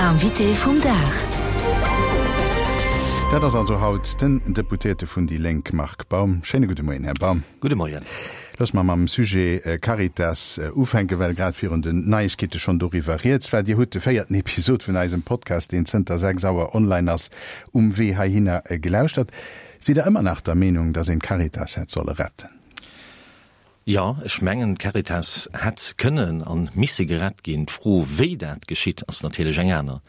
Invité vum Dag. Dat ass also haut den Deputéierte vun déi Lénk Marc Baum. Schéine gudde Moien, Här Baum. Gudde Moien. Loosse mer mam Sujet Caritas ufänken, well grad virun den Neiegkeete schonn doriwwer rieds war. Dir hutt de véierten Episod vun eisem Podcast, deen zënter 6 Auer online ass, um Wee heihinner gelauschtert. Sidd Der ëmmer nach der Meenung, datt een d'Caritas hätt solle retten? Jo, ech mengen, d'Caritas hätt kënnen a misse gerett ginn. D'Fro, wéi dat geschitt, ass natierlech eng aner.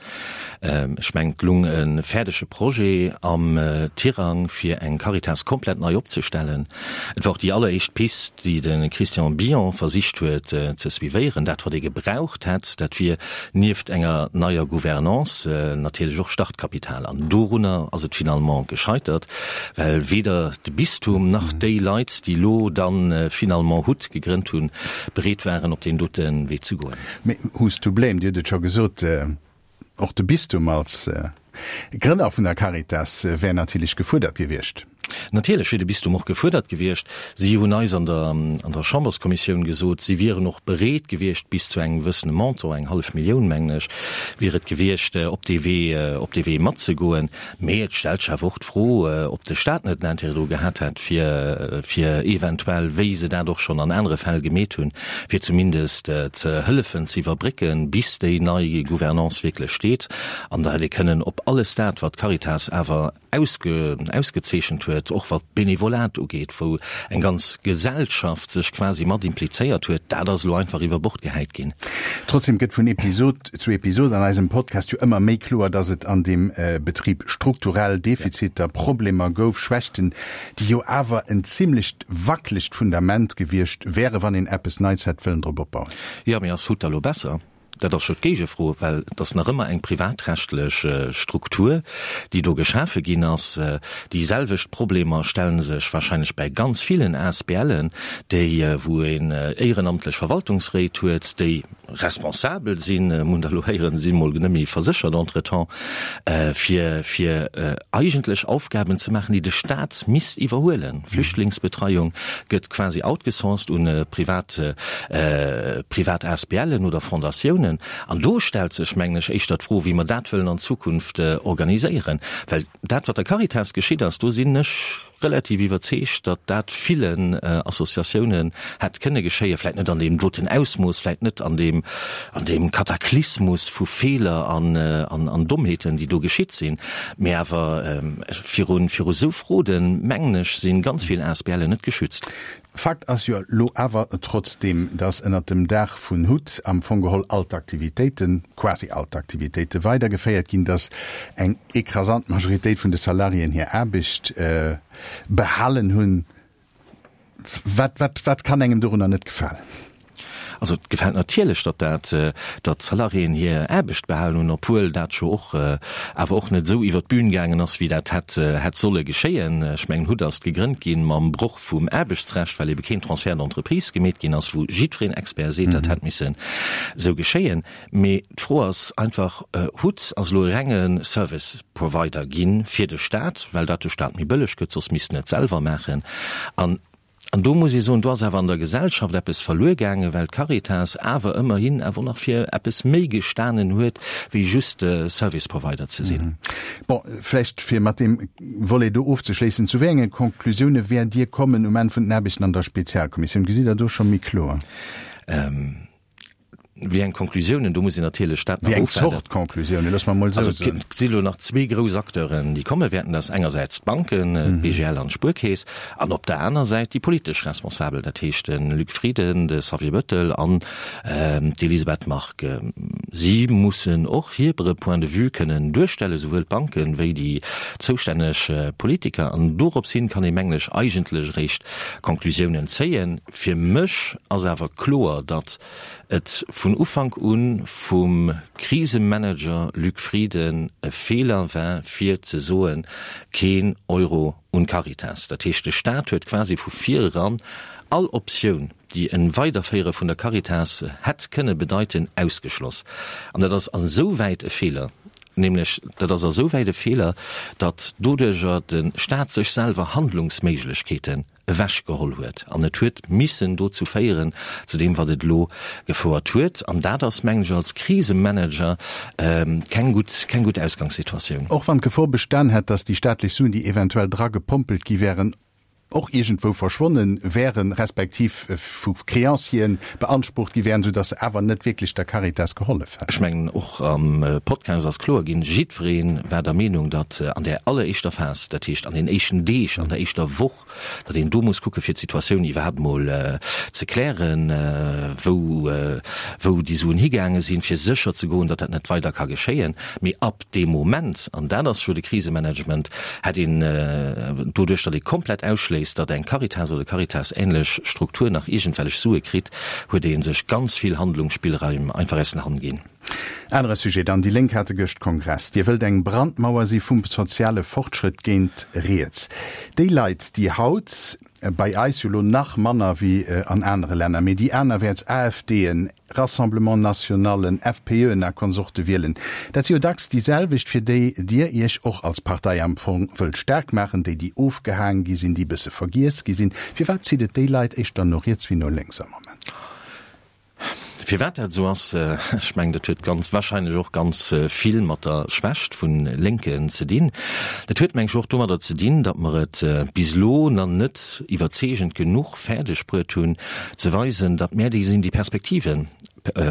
Ech mengen, et lung e fäerdege Projet am Tirang, fir eng Caritas komplett nei opzestellen. Et war och déi alleréischt Pist, déi de Christian Billon versicht huet ze suivéieren. Dat, wat ee gebraucht hätt, dat wier nieft enger neier Gouvernance natierlech och Startkapital. An dorunner ass et finalement gescheitert. Well weder de Bistum nach déi Leit, déi elo da finalement hut gegrënnt hunn, bereet waren, op deen dote Wee ze goen. Mee who's to blame? Dir hutt et scho gesot, och de Bistum als Grënner vun der Caritas wär natierlech gefuerdert gewiescht. Natierlech wier de Bistum och gefuerdert gewiescht. Si hunn eis an der an der Chamberskommissioun gesot, si wieren och bereet gewiescht, bis zu engem gewëssene Montant, eng hallef Millioun mengen ech, wier et gewiescht, op dee Wee op dee Wee matzegoen. Mee et stellt sech awer och d'Fro, ob de Stat net en Intérêt dru gehat hätt, fir, fir eventuell, wéi se dat och schonn an anere Fäll gemeet hunn, fir zumindest ze hëllefen ze iwwerbrécken, bis déi nei Gouvernance wierklech steet. An da hätt ee kënnen op alles dat, wat d'Caritas awer ausge, ausgezeechent huet, och wat d'Benevolat ugeet, wou eng ganz Gesellschaft sech quasi mat implizéiert huet, dat ass elo einfach iwwer Bord gehäit ginn. Trotzdem gëtt vun Episod zu Episod an eisem Podcast jo ëmmer méi kloer, dass et an deem Betrib strukturell Defiziter, Problemer gouf, Schwächten, déi jo awer en zimlecht wackelegt Fundament gewiescht wären, wann een eppes Neits hätt wëllen drop opbauen. Jo, mee ass Hutt da lo besser? Dat ass jo d'Géigefro, well et ass nach ëmmer eng privatrechtlech Struktur, déi do geschafe ginn ass. Déi selwecht Problemer stelle sech wahrscheinlech bäi ganz villen ASBLen, déi, wou een éierenamtlech Verwaltungsréit huet, déi, responsabel sinn, mir hunn der elo héieren, si mol net méi verséchert entretemps, fir fir eigentlech Aufgaben ze maachen, déi de Staat misst iwwerhuelen. Flüchtlingsbetreiung gëtt quasi outgesourced un privat privat ASBLen oder Fondatiounen. An do stellt sech, mengen ech, éischter d'Fro, wéi mer dat wëllen an Zukunft organiséieren. Well dat, wat der Caritas geschitt ass, do sinn ech, relativ iwwerzeegt, datt dat villen Associatiounen hätt kënne geschéien, vläit net an deem doten Ausmooss, vläit net an deem, an deem Kataklysmus vu Feeler an, an Dommheeten, déi do geschitt sinn, mee awer viru, viru esou Froden, mengen ech, si ganz vill ASBLen net geschützt. Fakt ass jo elo awer trotzdeem, datt ënnert dem Daach vun hut am Fong geholl all d'Aktivitéiten, quasi all d'Aktivitéite weidergeféiert ginn, datt eng écrasant Majoritéit vun de Salariéen hir Aarbecht behalen hunn. Wat, wat, wat kann engem dorunner net gefalen? Also et gefält natierlech, datt dat, datt d'Salariéen hir Aarbecht behalen hunn, obwuel dat scho och awer och net esou iwwer d'Bün gaangen ass, wéi dat hätt hätt solle geschéien. Ech mengen, hut ass gegrënnt gi mam Broch vum Aarbechtsrecht, well ebe keen Transfert d'entreprise gemeet ginn ass, wou jiddwereen Expert seet, dat hätt missen esou geschéien. Mee d'Fro ass einfach, Hut ass elo e renge Service Provider gi fir de Stat, well dat de Stat méi bëlleg gëtt, soss misst en et selwer maachen. An An do muss ee soen, do ass awer an der Gesellschaft eppes verluer gaangen, well d'Caritas awer ëmmerhin awer och nach fir eppes méi gestanen huet, wéi just Service Provider ze sinn. Bon, vläicht fir mat deem Volet do ofzeschléissen, Zu wéi enge Konklusioune wäert Dir kommen um Enn vun den Aarbechten an der Spezialkommissioun? Gesitt Der do scho méi kloer? Wéi eng Konklusiounen, do muss een natierlech dat nach ofwaarden. Wéi eng Zort Konklusiounen, loosse mer emol esou soen. Also et si lo nach zwee grouss Acteuren, déi komme wäerten. Dat ass engersäits d'Banken, d'BGL an d'Spuerkeess, an op der aner Säit déi politesch Responsabel, dat heescht de Luc Frieden, de Xavier Bettel an d'Elisabeth Margue. Si mussen och hire Point de vue kënnen duerstellen, souwuel d'Banken wéi déi zoustänneg Politiker. An dorops hin kann ee, mengen ech, eigentlech eréischt Konklusiounen zéien. Fir mech ass awer kloer, datt et vun Ufank u vum Krisemanager Luc Frieden e Feeler war fir ze soen, keen Euro un d'Caritas. Dat heescht, de Staat huet quasi vu vir eran all Optioun, déi e Weiderféiere vun der Caritas hätt kënne bedeiten, ausgeschloss. An dat ass esouwäit e Feeler. Nämlech, dat ass esouwäit e Feeler, datt doduerjer de Staat sech selwer Handlungsméiglechkeeten ewechgeholl huet. An et huet missen dozou féieren, zu deem, wat et elo gefouert huet. An dat ass, mengen ech, als Krisemanager keng gutt, keng gutt Ausgangssituatioun. Och wann d'Gefor bestan hätt, datt déi staatlech Suen, déi eventuell dragepompelt gi wären, och iergendwou verschwonne wären, respektiv vu Créancieren beansprucht gi wären, soudatt se awer net wierklech der Caritas gehollef hätten. Ech mengen, och am Podcast ass kloer ginn, jiddweree war der Meenung, datt an där alleréischter Phas, dat heescht an den éischten Deeg, an der éischter Woch, datt een do muss kucke fir d'Situatioun iwwerhaapt emol ze klären, wou wou déi Suen higaange sinn, fir sécher ze goen, datt dat net weider ka geschéien. Mee ab dee Moment, an dat ass jo de Krisemanagement, hätt een, doduerch datt ee komplett ausschléisst, datt eng Caritas oder Caritas-ähnlech Struktur nach iergendwellech Sue kritt, huet ee sech ganz vill Handlungsspillraim einfach aus den Hand ginn. Anere Sujet dann, Déi Lénk hate gëscht Kongress. Dir wëllt eng Brandmauer si vum soziale Fortschrëtt géint riets. Déi Leit, déi haut, bei eis jo lo nach manner wéi an anere Länner, mee déi anerwäerts AfDen, Rassemblement Nationalen, FPÖen a Konsorte wielen, dat si jo dacks déi selwecht, fir déi Dir Iech och als Partei am Fong wëllt staark maachen, déi déi ofgehaang gi sinn, déi e bësse vergiess gi sinn. Firwat zitt et déi Leit éischter no riets wéi no lénks am Moment? Firwat dat esou ass, ech mengen, dat huet ganz wahrscheinlech och ganz vill mat der Schwächt vu Lénken ze dinn. Dat huet, meng ech, och domadder ze dinn, datt mer et bis elo nach net iwwerzeegend genuch fäerdeg bruet hunn, ze weisen, datt mär déi sinn, déi Perspektiven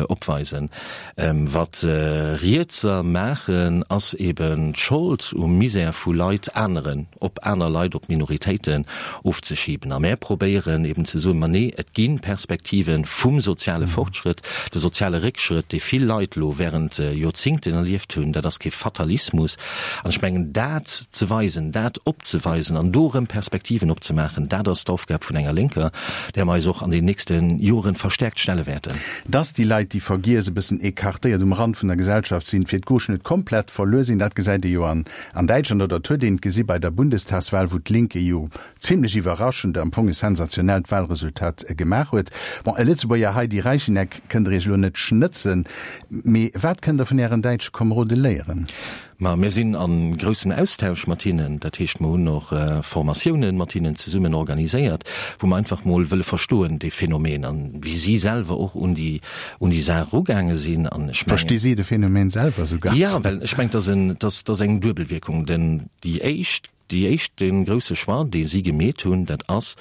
opweisen. Wat Rietser maachen, ass eben d'Schold um Misär vu Leit aneren, op aner Leit, op Minoritéiten ofzeschiben. A mär probéieren eben ze soen, ma nee, et gi Perspektive vum soziale Fortschrëtt. De soziale Réckschrëtt, dee vill Leit elo während Joerzingten erlieft hunn, dat ass kee Fatalismus. An ech mengen, dat ze weisen, dat opzeweisen an do erëm Perspektiven opzemaachen, dat ass d'Aufgab vun enger Lénker, där mer eis och an den nächste Joren verstärkt stelle wäerten. Dass déi Leit, déi vergiess, e bëssen écartéiert um Rand vun der Gesellschaft sinn, fir d'Gauche net komplett verluer sinn, dat gesäit ee jo an Däitschland oder et huet een et gesi bei der Bundestagswahl, wou d'Linke jo zimlech iwwerraschend, am Fong e sensationellt Wahlresultat gemaach huet. Bon, e Lëtzebuerger Heidi Reichinnek kënnt der Iech elo net schnëtzen, mee wat kënnt der vun Ären däitsche Komerode léieren? Ma mir sinn a groussem Austausch mat hinnen. Dat heescht, mer hunn och Formatiounen mat hinnen zesummen organiséiert, wou mer einfach mol wëlle verstoen, dee Phänomen, an wéi si selwer och un déi, un déi Saach erugaange sinn. An ech mengen. Versti si de Phänomen selwer esou ganz? Jo, well ech mengen, et ass en, et ass, et ass eng Duebelwierkung. Den, déi éischt Déi éischt, dee grousse Choix, dee si gemeet hunn, dat ass,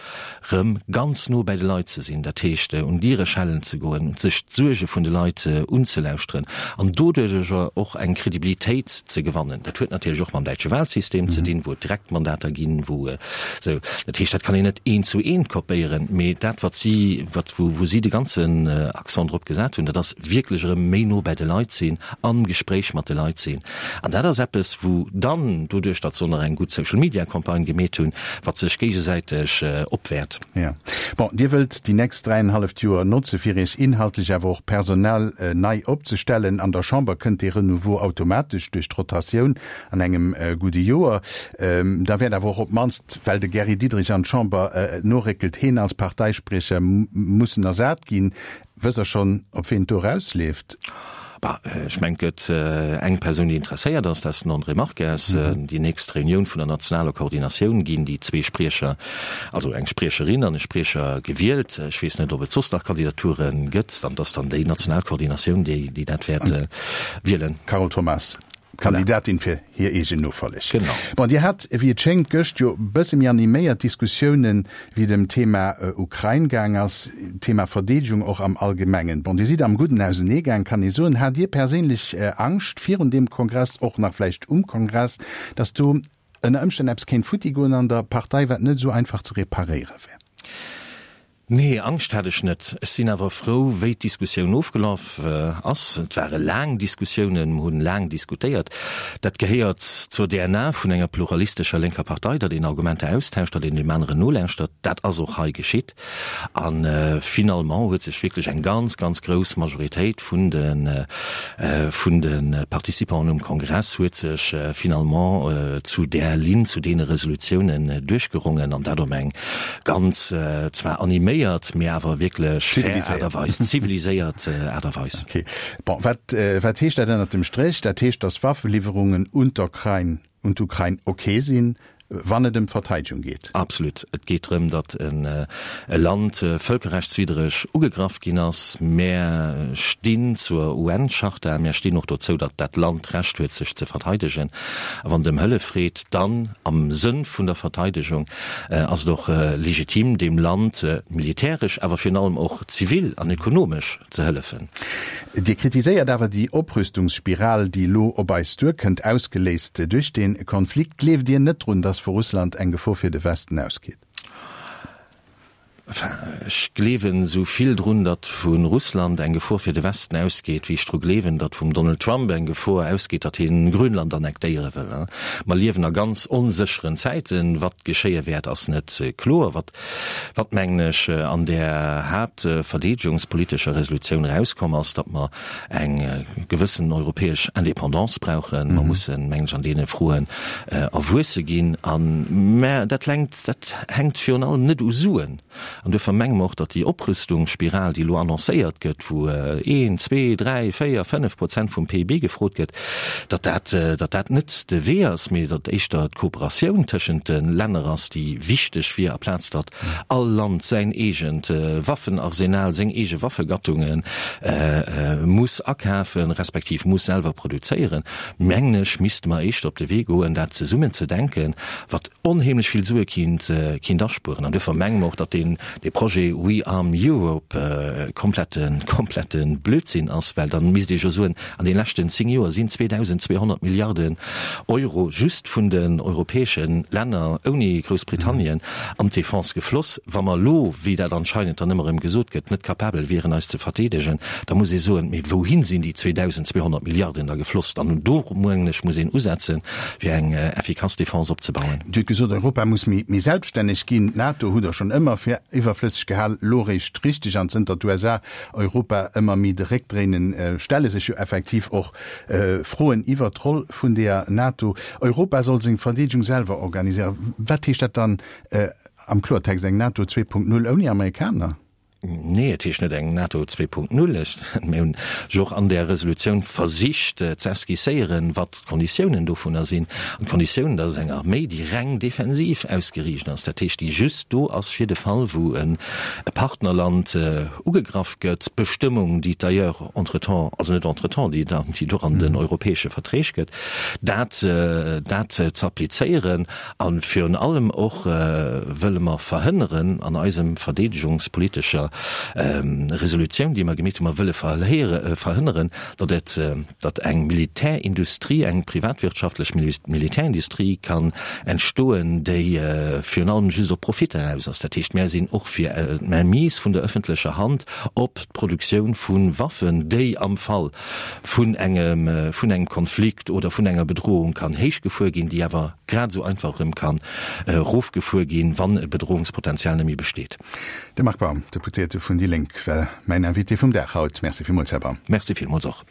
rëm ganz no bäi de Leit ze sinn, dat heescht, un d'Diere schellen ze goen, sech d'Suerge vun de Leit unzelauschteren an doduerjer och eng Kredibilitéit ze gewannen. Dat huet natierlech och mam däitsche Wahlsystem ze dinn, wou et Direktmandater ginn, wou esou. Dat heescht, dat kann een net eent zu eent kopéieren, mee dat, wat si, wat, wou, wou si de ganzen Accent drop gesat hunn, dat ass wierklech erëm méi no bäi de Leit sinn, am Gespréich mat de Leit sinn. An dat ass eppes, wou dann, doduerch datt se och nach eng gutt Social-Media-Campagne gemeet hunn, wat sech géigesäiteg opwäert. Jo. Bon, Dir wëllt déi nächst dräienhalleft Joer notze fir Iech inhaltlech, awer och personell nei opzestellen. An der Chamber kënnt dee Renouveau automatesch duerch d'Rotatioun an engem gudde Joer. Da wäert awer och op d'mannst, well de Gary Diderich an d'Chamber noréckelt, heen als Parteispriecher mussen ersat ginn. Wësst Der schonn, op ween et do erausleeft? Bah, ech mengen, et gëtt eng Persoun, déi interesséiert ass, dat ass den André Marques. Déi nächst Reunioun vun der nationaler Koordinatioun ginn déi zwee Spriecher, also eng Spriecherin an e Spriecher gewielt. Ech weess net, ob et soss nach Kandidature gëtt. Dann, et ass dann déi national Koordinatioun, déi, déi dat wäert wielen. Carole Thomas, Kandidatin fir hir eegen Nofolleg. Genau. Bon, Dir hat, wéi et schéngt, gëscht jo bësse méi animéiert Diskussiounen, wéi et ëm d'Thema Ukrain gaang ass, d'Thema Verdeedegung och am Allgemengen. Bon, Dir sidd am Gudden auseneegaang, kann ee soen. Hat Dir perséinlech Angscht virun deem Kongress, och nach vläicht um Kongress, datt do ënner Ëmstänn eppes kéint futti goen an der Partei, wat net esou einfach ze reparéiere wär? Nee, Angscht hat ech net. Ech sinn awer frou, wéi d'Diskussioun ofgelaf ass. Et ware laang Diskussiounen, mer hunn laang diskutéiert. Dat gehéiert zur DNA vun enger pluralistescher lénker Partei, datt een Argumenter austauscht, datt een deem aneren nolauschtert. Dat ass och hei geschitt. A finalement huet sech wierklech eng ganz, ganz grouss Majoritéit vun de, vun de Participanten um Kongress huet sech finalement zu där Linn, zu deene Resolutiounen duerchgerongen, an dat op eng ganz zwar animéiert. koordinéiert, mee awer wierklech fair Aart a Weis, ziviliséiert Aart a Weis. Okay. Bon, wat, wat heescht dat ënnert dem Stréch? Dat heescht, datt Waffeliwwerungen un d'Ukrain, un d'Ukrain ok sinn, wann et ëm d'Verteidegung geet. Absolut. Et geet drëm, datt e Land vëlkerrechtswiddreg ugegraff ginn ass. Mär stinn zur UN-Charta, mär stinn och dozou, datt dat Land d'Recht huet, sech ze verteidegen. A wann et ëm Hëllef freet, dann am Sënn vun der Verteidegung, ass et och legitim, deem Land militäresch, awer virun allem och zivil an ökonomesch ze hëllefen. Dir kritiséiert awer déi Oprüstungsspiral, déi elo op eis duerkënnt, ausgeléist duerch dee Konflikt. Gleeft Dir net drun, datt vu Russland eng Gefor fir de Westen ausgeet? Enfin, ech gleewen esou vill drun, datt vu Russland eng Gefor fir de Westen ausgeet, wéi ech dru gleewen, datt vum Donald Trump eng Gefor ausgeet, datt hien Grönland annektéiere wëll. Mer liewen a ganz onsécheren Zäiten. Wat geschéie wäert, ass net kloer. Wat Wat, mengen ech, an där haaptverdeedegungspolitescher Resolutioun erauskomm ass, datt mer eng gewëssen europäesch Indépendance brauchen. Mer mussen, mengen ech, an deene Froen erwuesse ginn. A mä dat lenkt, dat hänkt virun allem net u Suen. An duerfir menge mer och, datt déi Oprüstungsspiral, déi elo annoncéiert gëtt, wou een, zwee, dräi, véier, 5 Prozent vum PIB gefrot gëtt, datt dat, datt dat net de Wee ass, mee datt éischter d'Kooperatioun tëschent de Länner ass, déi wichteg wier, aplaz datt all Land säin eegent Waffenarsenal, seng eege Waffegattunge muss akafen, respektiv muss selwer produzéieren, mengen ech, misste mer éischter op de Wee goen, dat zesummen ze denken, wat onheemlech vill Sue kinnt, kinnt aspueren. An duerfir menge mer och, datt deen, dee Projet We Arm Europe komplette, komplette Blödsinn ass, well da misst ee jo soen, an de leschten 10 Joer sinn 2.200 Milliarden Euro just vun den europäesche Länner ouni Groussbritannien an d'Defense gefloss. Wa mer elo, wéi dat anscheinend dann ëmmer erëm gesot gëtt, net capabel wieren eis ze verdeedegen, da muss ee soen, mee wouhin sinn déi 2.200 Milliarden da gefloss? An do, mengen ech, muss een usetzen, fir eng effikass Defense opzebauen. Dir hutt gesot, Europa muss méi selbststänneg ginn. D'NATO hutt Der schonn ëmmer fir iwwerflësseg gehal, elo eréischt richteg. An zënter d'USA Europa ëmmer méi de Réck dréinen, stelle sech jo effektiv och Froen iwwert d'Roll vun deeër NATO. Europa soll seng Verdeedegung selwer organiséieren. Wat heescht dat dann am Kloertext? Eng NATO 2.0 ouni Amerikaner? Nee, et heescht net eng NATO 2.0. Ech, mir hunn jo och an där Resolutioun versicht ze esquisséieren, wat d'Konditiounen dovunner sinn. An d'Konditiounen, dat ass eng Arméi, déi reng defensiv ausgeriicht ass, dat heescht, déi just do ass fir de Fall, wou e Partnerland ugegraff gëtt, Bestëmmung, déi d'ailleurs entretemps, also net entretemps, déi et och an den europäesche Verträg gëtt, dat, dat ze applizéieren. A virun allem och wëlle mer verhënneren an eisem verdeedegungspolitescher Resolutioun, déi mer gemeet hunn, mer wëlle verhënneren, datt et, datt eng Militärindustrie, eng privatwirtschaftlech Militärindustrie kann entstoen, déi virun allem just op Profitter aus ass. Dat heescht, mär sinn och fir d'Mainmise vun der öffentlecher Hand op d'Produktioun vu Waffen, déi am Fall vun engem, vun engem Konflikt oder vun enger Bedrohung kann héichgefuer ginn, déi awer grad esou einfach erëm kann erofgefuer ginn, wann e Bedrohungspotenzial net méi besteet. De Marc Baum, Deputéierte vun déi Lénk, war mäin Invité vum Dag haut. Merci villmools, Här Baum. Merci villmools och.